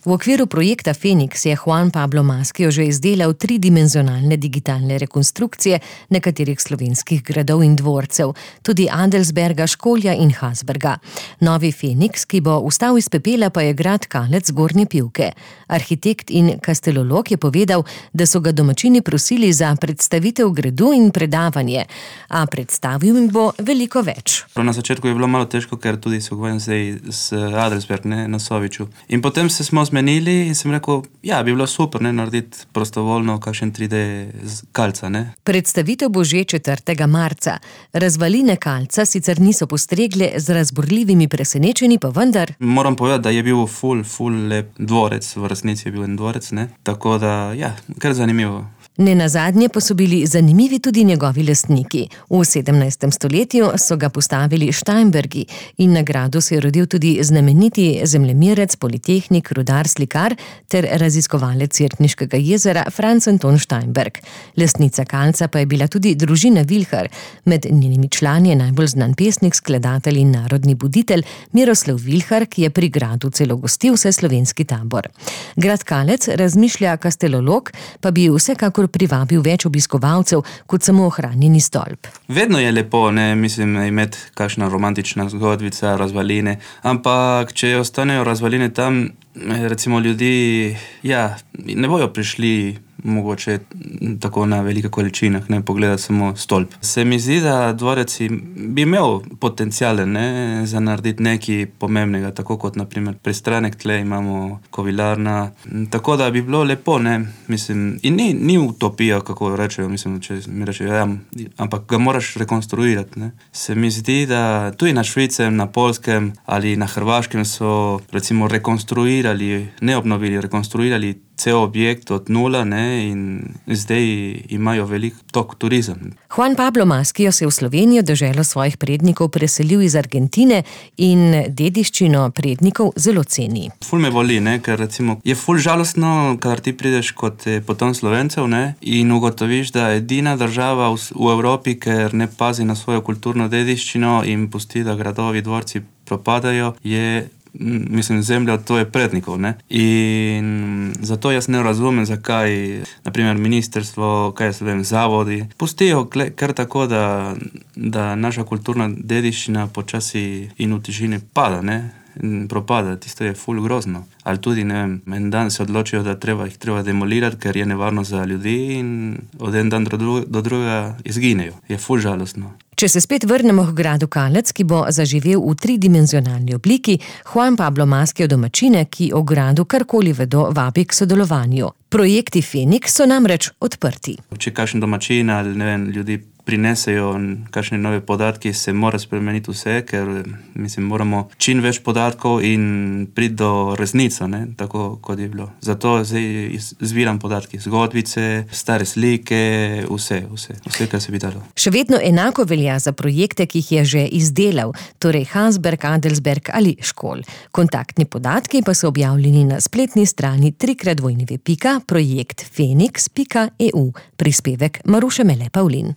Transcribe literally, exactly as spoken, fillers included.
V okviru projekta Feniks je Juan Pablo Maskio že izdelal tridimenzionalne digitalne rekonstrukcije nekaterih slovenskih gradov in dvorcev, tudi Adelsberga, Školja in Hasberga. Novi Feniks, ki bo vstal iz pepela, pa je grad Kalec Zgornje Pivke. Arhitekt in kastelolog je povedal, da so ga domačini prosili za predstavitev gradu in predavanje, a predstavil jim bo veliko več. Na začetku je bilo malo težko, ker tudi se ukvarjam zdaj s Adelsberg, ne, na Soviču. In potem se smo zmenili in sem rekel, ja, bi bilo super, ne, narediti prostovoljno kakšen tri D Kalca, ne. Predstavitev bo že četrtega marca. Razvaline Kalca sicer niso postregle z razburljivimi presenečenji, pa vendar. Moram povedati, da je bil ful, ful lep dvorec, v resnici je bil en dvorec, ne. Tako da, ja, kar zanimivo. Nenazadnje pa so bili zanimivi tudi njegovi lastniki. V sedemnajstem stoletju so ga postavili Steinbergi in na gradu se je rodil tudi znameniti zemljemirec, politehnik, rudar, slikar ter raziskovalec Cerkniškega jezera Franz Anton Steinberg. Lastnica Kalca pa je bila tudi družina Vilhar. Med njenimi člani je najbolj znan pesnik, skladatelj in narodni buditelj Miroslav Vilhar, ki je pri gradu celo gostil vseslovenski tabor. Grad Kalec, razmišlja kastelolog, pa bi vsekakor privabil več obiskovalcev kot samo ohranjeni stolp. Vedno je lepo, ne, mislim, imeti kakšna romantična zgodbica, razvaline, ampak če ostanejo razvaline tam, recimo ljudi, ja, ne bojo prišli mogoče tako na velike količinah, ne, pogledati samo stolp. Se mi zdi, da dvorec bi imel potenciale, ne, za narediti nekaj pomembnega, tako kot naprimer pristranek tle imamo kovilarna, tako da bi bilo lepo, ne, mislim, in ni, ni utopija, kako rečejo, mislim, če mi rečejo, ja, ampak ga moraš rekonstruirati, ne. Se mi zdi, da tudi na Švicem, na Poljskem ali na Hrvaškem so recimo rekonstruirali, ne obnovili, rekonstruirali cel objekt od nula, ne, in zdaj imajo velik tok turizem. Juan Pablo Maskio se je v Slovenijo, deželo svojih prednikov, preselil iz Argentine in dediščino prednikov zelo ceni. Ful me boli, ne, ker recimo je ful žalostno, kadar ti prideš kot potom Slovencev, ne, in ugotoviš, da edina država v, v Evropi, ker ne pazi na svojo kulturno dediščino in pusti, da gradovi, dvorci propadajo, je mislim, zemlja od tvoje prednikov, ne. In zato jaz ne razumem, zakaj, naprimer, ministrstvo, kaj jaz vem, zavodi, pustijo kar tako, da, da naša kulturna dediščina počasi in v tišini pada, ne, in propada. Tisto je ful grozno. Ali tudi, ne vem, en dan se odločijo, da treba jih treba demolirati, ker je nevarno za ljudi in od en dan do, dru do drugega izginejo. Je ful žalostno. Če se spet vrnemo k gradu Kalec, ki bo zaživel v tridimenzionalni obliki, Juan Pablo Maskio domačine, ki o gradu karkoli vedo, vabi k sodelovanju. Projekti Feniks so namreč odprti. Če kakšen domačin ali, ne vem, ljudi prinesejo kakšne nove podatki, se mora spremeniti vse, ker mislim, moramo čim več podatkov in priti do resnico, ne, tako kot je bilo. Zato zdaj zbiram podatki, zgodbice, stare slike, vse, vse, vse, kar se bi dalo. Še vedno enako velja za projekte, ki jih je že izdelal, torej Hasberg, Adelsberg ali Škol. Kontaktni podatki pa so objavljeni na spletni strani trikrat dvojni pika projekt feniks pika e u. Prispevek Maruše Mele Pavlin.